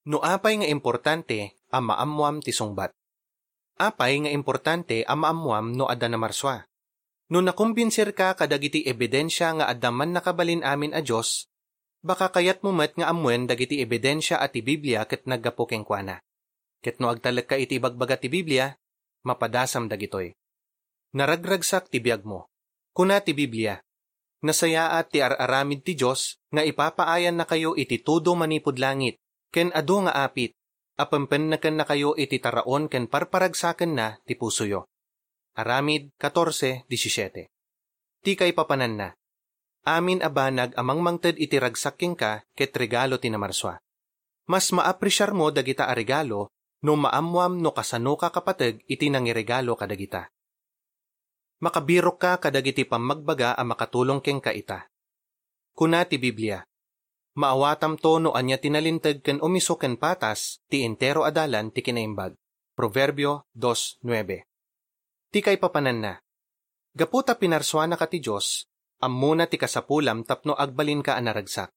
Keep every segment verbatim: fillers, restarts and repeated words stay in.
No apay nga importante a maammoam ti sungbat? Apay nga importante a maammoam no adda namarsua? No nakumbinsirka kadagiti ebidensia nga adda mannakabalin amin a Dios, baka kayatmo met nga ammoen dagiti ebidensia a ti Biblia ket naggapu kenkuana. Ket no agtalekka iti ibagbaga ti Biblia, mapadasam dagitoy. Naragragsak ti biagmo. Kuna ti Biblia, "Nasayaat ti ar-aramid ti Dios nga ipapaayannakayo iti tudo manipud langit, ken adu nga apit, a pempennekennakayo iti taraon ken parparagsakenna ti pusoyo." Aramid katorse disisiete. Ti kaipapananna, amin a banag a mangmangted iti ragsak kenka ket regalo ti namarsua. Mas maapresiarmo dagita a regalo no maammoam no kasanoka kapateg iti nangiregalo kadagita. Makabirokka kadagiti pammagbaga a makatulong kenka ita. Kuna ti Biblia, "Maawatamto no ania ti nalinteg ken umiso ken patas ti entero a dalan ti kinaimbag." Proverbio dos nuebe. Ti kaipapananna, gapu ta pinarsuanaka ti Dios, ammona ti kasapulam tapno agbalinka a naragsak.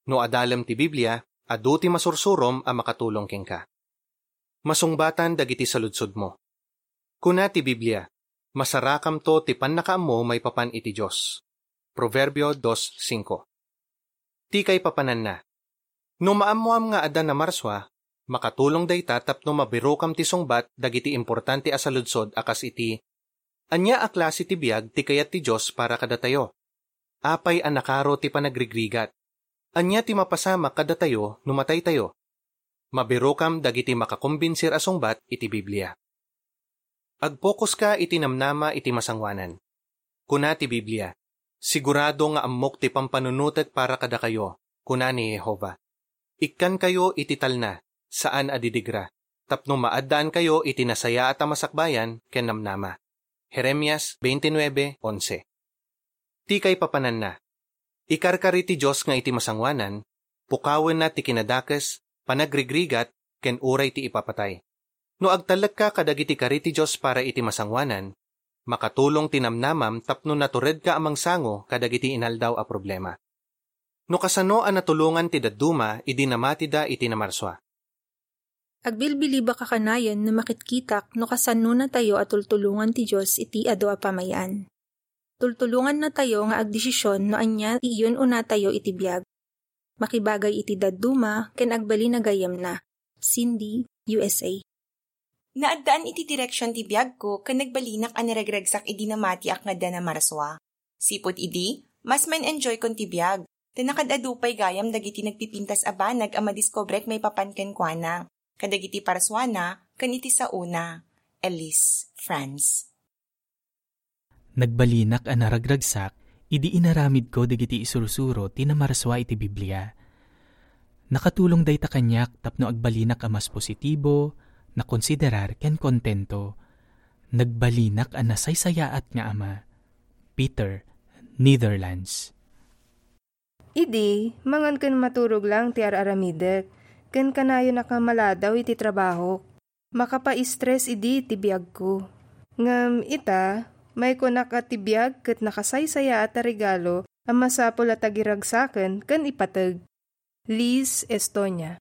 No adalem ti Biblia, adu ti masursurom a makatulong kenka. Masungbatan dagiti saludsodmo. Kuna ti Biblia, "Masarakamto ti pannakaammo maipapan iti Dios." Proverbio dos cinco. Ti kaipapananna, no maammoam nga adda namarsua, makatulong dayta tapno mabirokam ti sungbat dagiti importante a saludsod a kas iti, "Ania a klase ti biag ti kayat ti Dios para kadatayo? Apay a nakaro ti panagrigrigat? Ania ti mapasamak kadatayo no mataytayo?" Mabirokam dagiti makakombinsir a sungbat iti Biblia. Agpokuska iti namnama iti masangoanan. Kuna ti Biblia, "Sigurado nga ammok ti pampanunotek para kadakayo," kuna ni Jehovah. "Ikkankayo iti talna, saan a didigra, tapno maaddaankayo iti nasayaat a masakbayan ken namnama." Jeremias twenty-nine onse. Ti kaipapananna, ikarkari ti Dios nga iti masangoanan, pukawenna ti kinadakes, panagrigrigat, ken uray ti ipapatay. No agtalekka kadagiti kari ti Dios para iti masangoanan, makatulong ti namnamam tapno naturedka a mangsango kadagiti inaldaw a problema. No kasano a natulongan ti dadduma idi namatida iti namarsua? Agbilbilibaka kanayon no makitkitak no kasanonatayo a tultulongan ti Dios iti adu a pamay-an. Tultulongannatayo nga agdesisyon no ania ti iyun-unatayo iti biag. Makibagay iti dadduma ken agbalin a gayyemna. Cindy, U S A. Naaddaan iti direksion ti biagko ken nagbalinak a naragragsak idi namatiak nga adda namarsua. Sipud idi, mas man-enjoykon ti biag, ta nakaad-adu pay gayam dagiti nagpipintas a banag a madiskobrek maipapan kenkuana, kadagiti parsuana, ken iti saona. Elise, France. Nagbalinak a naragragsak idi inaramidko dagiti isursuro ti namarsua iti Biblia. Nakatulong dayta kaniak tapno agbalinak a mas positibo, nakonsiderar ken kontento. Nagbalinak a nasaysayaat nga ama. Peter, Netherlands. Idi, mangan ken maturog lang ti ar-aramidek, ken kanayonak a maladaw iti trabahok. Makapa-stress idi ti biagko. Ngem ita, maikunak a ti biag ket nakasaysayaat a regalo a masapul a tagiragsaken ken ipateg. Liz, Estonia.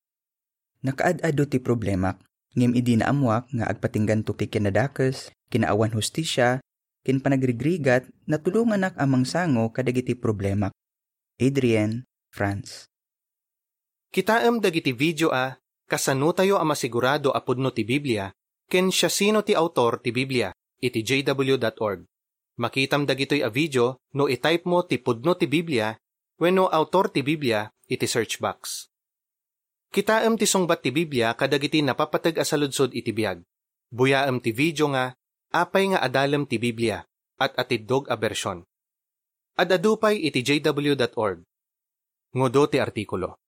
Nakaad-adu ti problemak, ngem idi naammoak nga agpatingganto ti kinadakes, kinaawan hustisia, ken panagrigrigat, natulonganak a mangsango kadagiti problemak. Adrienne, France. Kitaem dagiti video a Kasanotayo a Masigurado a Pudno ti Biblia ken Siasino ti Autor ti Biblia iti J W dot org. Makitam dagitoy a video no i-type mo ti pudno ti Biblia wenno autor ti Biblia iti search box. Kitaem ti sungbat ti Biblia kadagiti napapateg a saludsod iti biag. Buyaem ti video nga Apay nga Adalem ti Biblia, At-atiddog a Bersion. Ad-adu pay iti J W dot org. Ngudo ti artikulo.